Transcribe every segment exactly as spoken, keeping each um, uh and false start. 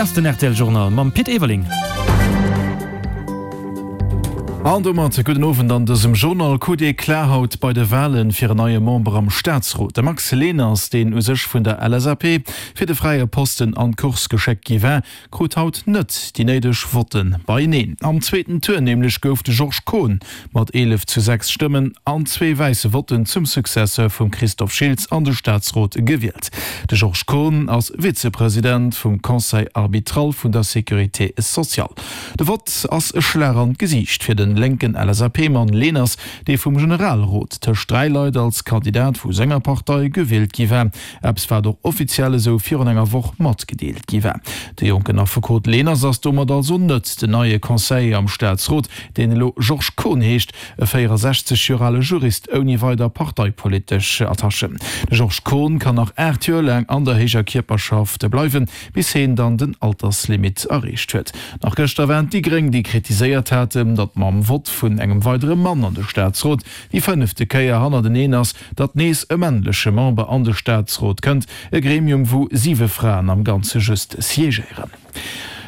Hei ass den rtl Journal mam Pit Everling. An domat gudden Owend an dësem Journal. Coup d'éclat haut bei de Walen fir en neie Member am Staatsrot. De Max Leners, deen u sech vun der L S A P fir de fräie Posten an d'Course geschéckt gi war, krut haut net déi néideg Votten beieneen. Am zweeten Tour nämlech gouf de Georges Kohn mat eelef zu sechs Stëmmen an zwee wäisse Votten zum Successeur vum Christophe Schiltz an de Staatsrot gewielt. De Georges Kohn ass Vizepresident vum Conseil arbitral vun der Sécurité sociale. De Vott ass e Schlag an d'Gesiicht fir de lénken L S A P-Mann Leners, dee vum Generalrot tëscht dräi Leit als Kandidat vu senger Partei gewielt gi war, eppes wat och offiziell esou virun enger Woch matgedeelt gi war. De jonken Affekot Leners ass domat also net den neie Conseiller am Staatsrot, deen elo Georges Kohn heescht, e véierasechzeg Joer ale Jurist ouni weider parteipolitesch Attachen. De Georges Kohn kann nach aacht Joer laang an der héijer Kierperschaft bleiwen, bis hien dann den Alterslimit erreecht huet. Nach gëschter waren et déi Gréng, déi kritiséiert haten, datt mam Vott vun engem weidere Mann an de Staatsrot déi fënnefte Kéier hannerteneen ass, datt nees e männleche Member an de Staatsrot kënnt, e Gremium wou siwe Fraen am Ganze just siégéieren.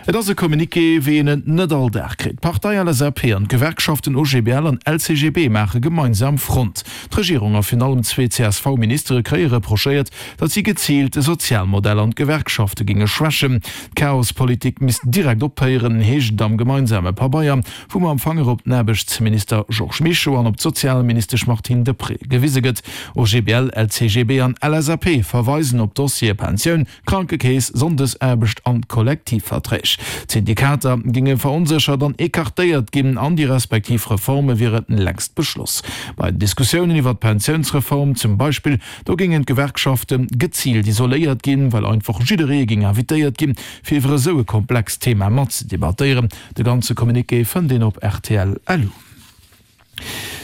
Et ass e Communiqué, wéi een en net all Dag kritt. D'Partei L S A P an d'Gewerkschaften O G B L an L C G B maache gemeinsam Front. D'Regierung a virun allem zwee C S V-Ministere kréie reprochéiert, datt si geziilt de Sozialmodell an d'Gewerkschafte géinge schwächen. D'Chaospolitik misst direkt ophéieren, heescht et am gemeinsame Pabeier, wou mam Fanger op den Aarbechtsminister Georges Mischo an op d'Sozialministesch Martine Deprez gewise gëtt. O G B L, L C G B an L S A P verweisen op d'Dossiere Pensioun, Krankekeess, Sonndesaarbecht an Kollektivverträg. D'Syndikater géinge veronséchert an ecartéiert ginn an déi respektiv Reforme wieren längst beschloss. Bei den Diskussiounen iwwer d'Pensiounsreform zum Beispill, do géingen d'Gewerkschafte geziilt isoléiert ginn, well einfach jidderee géing invitéiert ginn, fir iwwer esou e komplext Thema matzedebattéieren. De ganze Communiqué fënnt een op R T L punkt L U.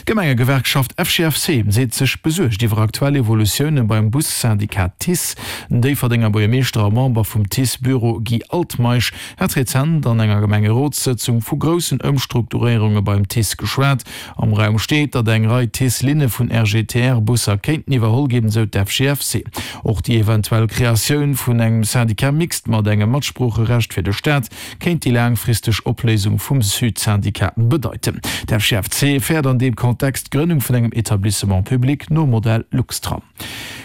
D'Gemengegewerkschaft F G F C seet sech besuergt iwwer aktuell Evolutioune beim Bussyndikat TICE. Den Déifferdenger Buergermeeschter a Member vum TICE-Büro Guy Altmeisch hat rezent an enger Gemengerotssëtzung vu groussen Ëmstrukturéierunge beim TICE geschwat. Am Raum steet, datt eng Rei TICE-Linne vun R G T R-Busser kéinten iwwerholl ginn, sou d'F G F C. Och déi eventuell Kreatioun vun engem Syndicat mixte mat engem Matsproocherecht fir de Staat kéint déi laangfristeg Opléisung vum Südsyndicat bedeiten. D'F G F C fäert an deem Kontext d'Grënnung vun engem Etablissement public nom Modell Luxtram.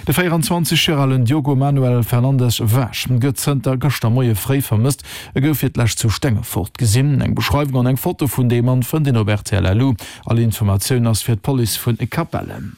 De véieranzwanzeg Joer alen Diogo Manuel Fernandes Vaz gëtt zënter gëschter Moie fréi vermësst. E gouf fir d'lescht zu Stengefort gesinn. Eng Beschreiwung an eng Foto vun deem Mann fënnt een op R T L punkt L U. All Informatioun ass fir d'Police vun Capellen.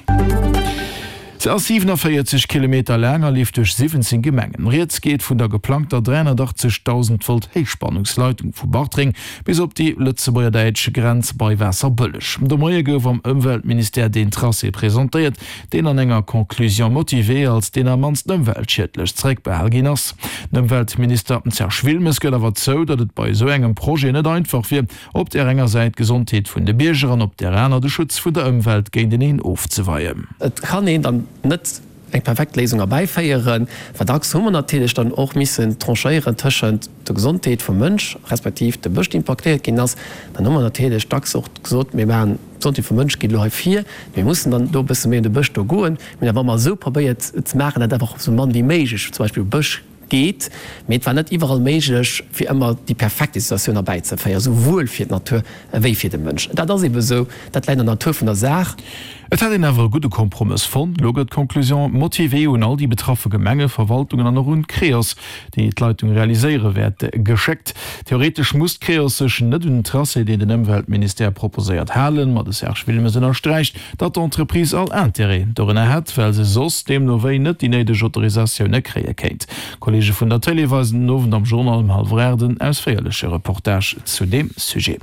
Se ass siewenenvéierzeg Kilometer laang a leeft duerch siwwenzéng Gemengen. Rieds geet vun der geplangter dräihonnertachtzegdausend Volt Héichspannungsleitung vu Bartreng bis op déi lëtzebuerger-däitsch Grenz bei Waasserbëlleg. De Moie gouf am Ëmweltministère deen Tracé presentéiert, deen an enger Conclusion motivée als deen am mannsten ëmweltschiedlech zeréckbehal ginn ass. Den Ëmweltminister Serge Wilmes gëtt awer zou, datt et bei esou engem Projet net einfach wier, op där enger Säit d'Gesondheet vun de Bierger an op där aner de Schutz vun der Ëmwelt géinteneen ofzeweien. Et kann een dann net eng perfekt Léisung erbäiféieren, well dacks hu mer natierlech dann och missen tranchéieren tëschent der Gesondheet vum Mënsch respektiv dem Bësch, deen impaktéiert ginn ass. Dann hu mer natierlech dacks och gesot, mir maachen, d'Gesondheet vum Mënsch geet elo hei vir, mir mussen dann do e bësse méi un de Bësch do goen. Mir hunn awer ëmmer esou probéiert et ze maachen, datt einfach esou mann wéi méiglech zum Beispill u Bësch geet, mee et war net iwwerall méiglech, fir ëmmer déi perfekte Situatioun erbäizeféieren, souwuel fir d'Natur ewéi fir de Mënsch. Dat ass ebe sou, dat läit an der Natur vun der Saach. Et hätt een awer e gudde Kompromëss fonnt. Elo gëtt d'Conclusion motivée un all déi betraffe Gemenge, Verwaltungen an och un d'Creos, déi d'Leitung realiséiere wäert, geschéckt. Theoretesch muss d'Creos sech net un den Tracé, deen den Ëmweltministère proposéiert, halen, ma de Serge Wilmes ënnersträicht, datt d'Entreprise all Interêt dorunner hätt, well se soss deemno wéi net déi néideg Autorisatioune kréie kéint. D'Kolleege vun der Télé weisen den Owend am Journal um hallwer aacht en ausféierleche Reportage zu deem Sujet.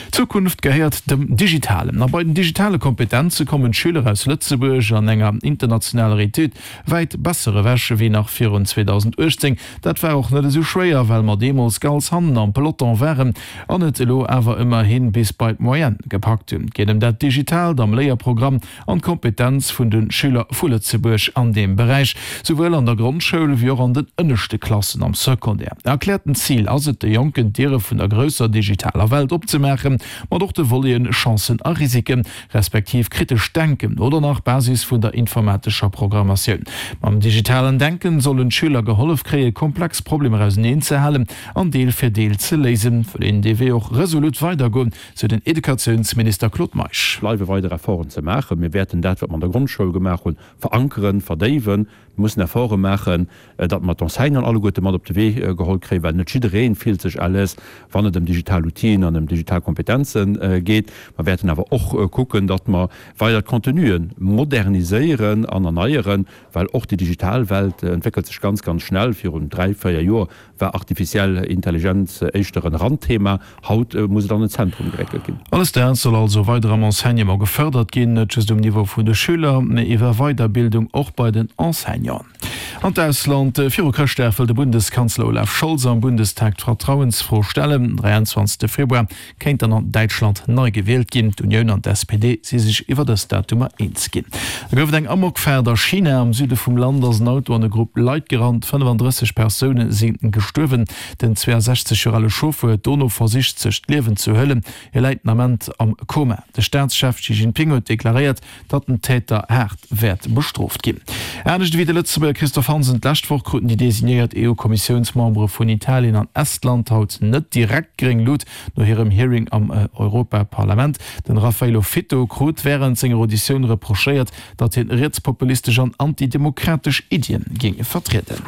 D'Zukunft gehéiert dem Digitalen. A bei den digitale Kompetenze kommen d'Schüler aus Lëtzebuerg an enger internationaler Etüd wäit besser ewech wéi nach virun zweedausenduechtzéng. Dat war och net esou schwéier, well mer deemools ganz hannen am Peloton waren an et elo awer ëmmerhi bis bei d'Moyenne gepackt hunn. Et geet ëm dat Digitaalt am Léierprogramm an d'Kompetenz vun de Schüler vu Lëtzebuerg an deem Beräich, souwuel an der Grondschoul wéi och an den ënneschte Klassen am Secondaire. Erkläerten Zil ass et, de Jonken d'Diere vun der grousser digitaler Welt opzemaachen, mat och de Voleten Chancen a Risiken, respektiv kritescht Denken oder nach Basis vun der informatescher Programmatioun. Mam digitalen Denken sollen d'Schüler gehollef kréie komplex Problemer auseneen ze halen an Deel fir Deel ze léisen. Wëll een dee Wee och resolut weidergoen, sou den Educatiounsminister Claude Meisch. Bleiwe weider Efforten ze maachen. Mir wäerten dat, wat mer an der Grondschoul gemaach hunn, verankeren, verdéiwen. Mir mussen Efforte maachen, datt mer d'Enseignanten alleguerte mat op de Wee geholl kréien, well net jidderee fillt sech à l'aise, wann et ëm digital Outinen an ëm digital Kompetenze geet. Mer wäerten awer och kucken, datt mer weider d'Contenue moderniséieren an erneieren, well och déi digital Welt entwéckelt sech ganz, ganz schnell. Virun dräi, véier Joer war artificiell Intelligenz éischter en Randthema, haut muss et an den Zentrum geréckelt ginn. Alles dat soll also weider am Enseignement gefërdert ginn, net just um Niveau vun de Schüler, mee iwwer Weiderbildung och bei den Enseignanten. An d'Ausland, Viru Chrëschtdag wëll de Bundeskanzler Olaf Scholz am Bundestag d'Vertrauensfro stellen. Den dräianzwanzegste Februar kéint dann an Däitschland nei gewielt ginn. D'Unioun an d'S P D si sech iwwer dës Datumer eens ginn. Da gouf et eng Amokfaart a China. Am Süde vum Land ass en Auto an e Grupp Leit gerannt. fënnefandrësseg Persoune si gestuerwen. Den zweeasechzeg Joer ale Chauffer huet dono versicht, sech d'Liewen ze huelen. Hie läit den Ament am Koma. De Staatschef Xi Jinping huet deklaréiert, datt den Täter haart wäert bestrooft ginn. Anescht ewéi de Lëtzebuerger Christophe Hansen d'lescht Woch kruten déi designéiert E U-Kommissiounsmembere vun Italien an Estland haut net direkt gréng Lut no hirem Hearing am Europaparlament. Den Raffaello Fitto krut wärend senger Auditioun reprochéiert, datt hien rietspopulistesch an antidemokratesch Iddien géing vertrieden.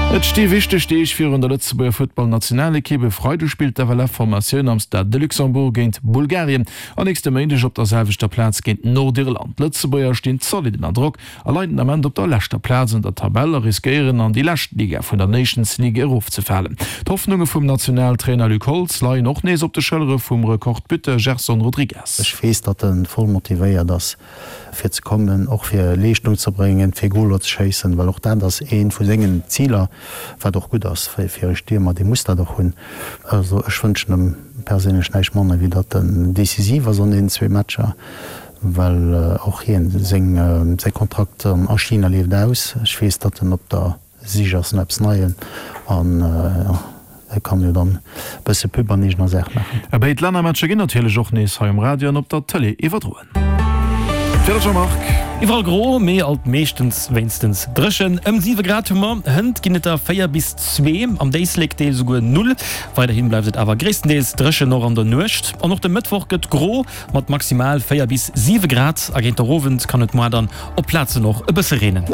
Et sti wichteg Deeg virun der Lëtzebuerger Futtballnationalekipp. E Freideg spillt d'F L F-Formatioun am Stade de Luxembourg géint Bulgarien an nächste Méindeg op der selwechter Plaz géint Nordirland. D'Lëtzebuerger stinn zolidd ënner Drock a leien den Ament op der leschter Plaz an der Tabell a riskéieren an déi lescht Liga vun der Nations League erofzefalen. D'Hoffnunge vum Nationaltrainer Luc Holtz leien och nees op de Schëllere vum Rekordbuteur Gerson Rodrigues. Ech weess, datt e voll motivéiert ass fir ze kommen, och fir Leeschtung ze bréngen, fir Goler ze schéissen, well och dat ass eent vu sengen Ziler, wat och gutt ass fir e Stiermer, dee muss dat och hunn. Also ech wënschen em perséinlech näischt manner wéi datt en decisiv ass an deenen zwee Matcher, well och hien seng säi Kontrakt a China leeft aus. Ech weess, datt en op der Sich ass no eppes Neiem an e kann jo dann e bësse Pub an eegener Saach maachen. A béid Lännermatcher ginn natierlech och nees hei um Radio an op der Tëlee iwwerdroen. D'Wieder, Jean-Marc. Iwwerall gro, mee alt meeschtens wéinstens dréchen. Ëm siwe Grad hu mer, hënt ginn et der véier bis zwee, am Éislek-Deel souguer null. Weiderhi bleift et awer gréisstendeels dréchen, och an der Nuecht. An och de Mëttwoch gëtt gro mat maximal véier bis siwe Grad a géint der Owend kann et muer dann op Plazen och e bësse reenen.